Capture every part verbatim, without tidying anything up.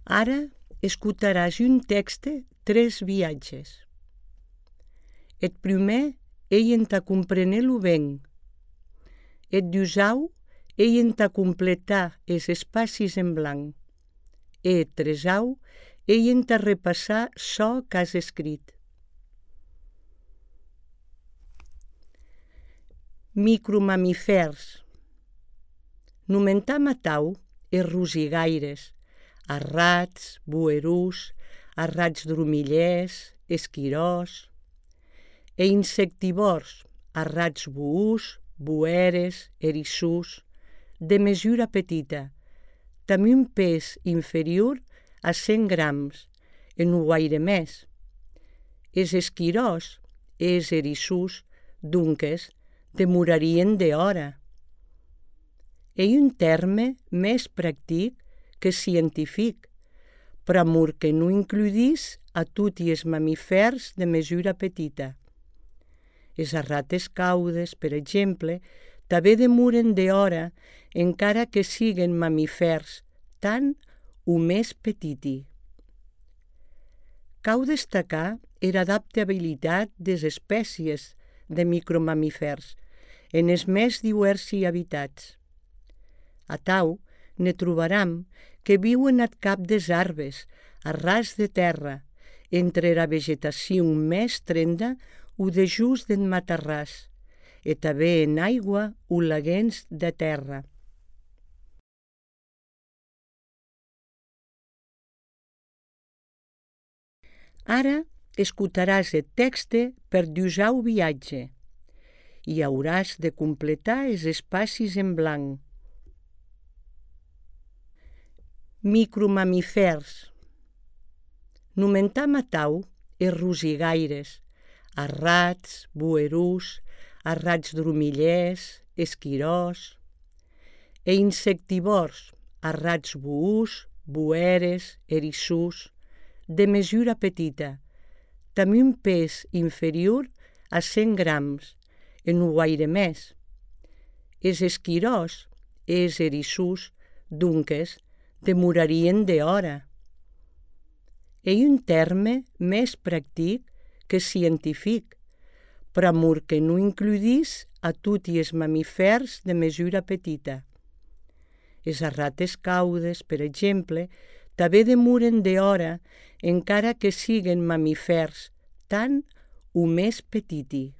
Ara escutaràs un texte tres viatges. Eth primer ei entà comprenir-lo ben. Eth dusau ei entà completar es espacis en blanc. E eth tresau ei entà repassar çò qu'has escrit. Micromamifèrs. Nomentam atau es rosigaires, as rats, boerus, as rats dromillers, esquiròs, e insectivòrs, as rats buus, boeres, erissús, de mesura petita, damb un pes inferior a cent grams, e non guaire mès. Es esquiròs e es erissús, donques, demorarien de hora. Ei un terme mès practic que scientific, pr'amor que non includís a toti es mamifèrs de mesura petita. Es rates caudes, per exemple, tanben demoren de hora encara que siguen mamifèrs tan o més petiti. Cau destacar era adaptabilitat des espècies de micromamifèrs en es més diversi habitats. Atau, ne trobaram que viuen ath cap des arbres, a ras de terra, entre era vegetacion més trenda o dejús d'en matarràs, e tanben en aigua o laguens de terra. Ara escutaràs eth texte per dusau viatge i hauràs de completar es espacis en blanc. Micromamifèrs. Nomentam atau es rosigaires, as rats, boerus, as rats dromillers, esquiròs, e insectivòrs, as rats buus, boeres, erissús, de mesura petita, damb un pes inferior a cent grams, e non guaire mès. Es esquiròs e es erissús, donques, demorarien de hora. Ei un terme mès practic que scientific, pr'amor que non includís a toti es mamifèrs de mesura petita. Es rates caudes, per exemple, tanben demoren de hora encara que siguen mamifèrs tan o més petiti.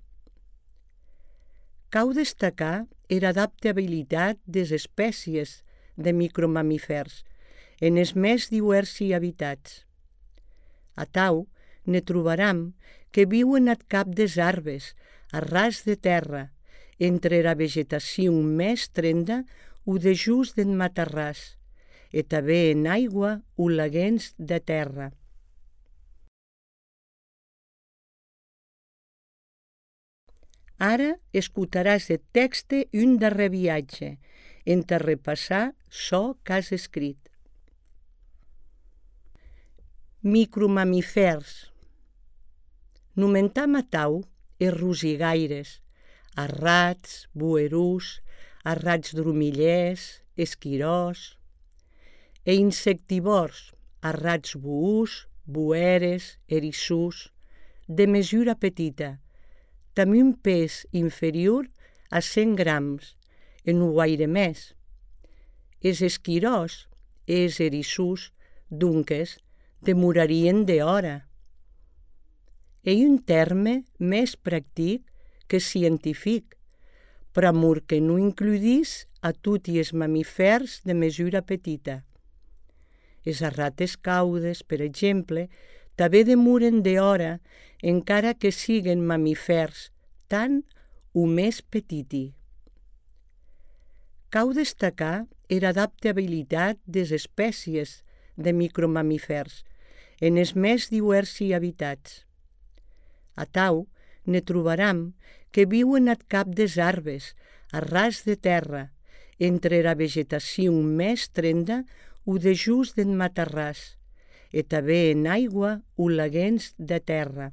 Cau destacar era adaptabilitat des espècies de micromamifèrs en es més diversi habitats. Atau, ne trobaram que viuen ath cap des arbres, a ras de terra, entre era vegetacion més trenda o dejús d'en matarràs, e tanben en aigua o laguens de terra. Ara escutaràs eth texte un darrer viatge, entà repassar çò qu'has escrit. Micromamifèrs. Nomentam atau es rosigaires, as rats, boerus, as rats dromillers, esquiròs, e insectivòrs, as rats buus, boeres, erissús, de mesura petita, damb un pes inferior a cent grams, e non guaire mès. Es esquiròs e es erissús, donques, demorarien de hora. Ei un terme mès practic que scientific, pr'amor que non includís a toti es mamifèrs de mesura petita. Es rates caudes, per exemple, tanben demoren de hora encara que siguen mamifèrs tan o més petiti. Cau destacar era adaptabilitat des espècies de micromamifèrs en es més diversi habitats. Atau, ne trobaram que viuen ath cap des arbres, a ras de terra, entre era vegetacion més trenda o dejús d'en matarràs, e tanben en aigua o laguens de terra.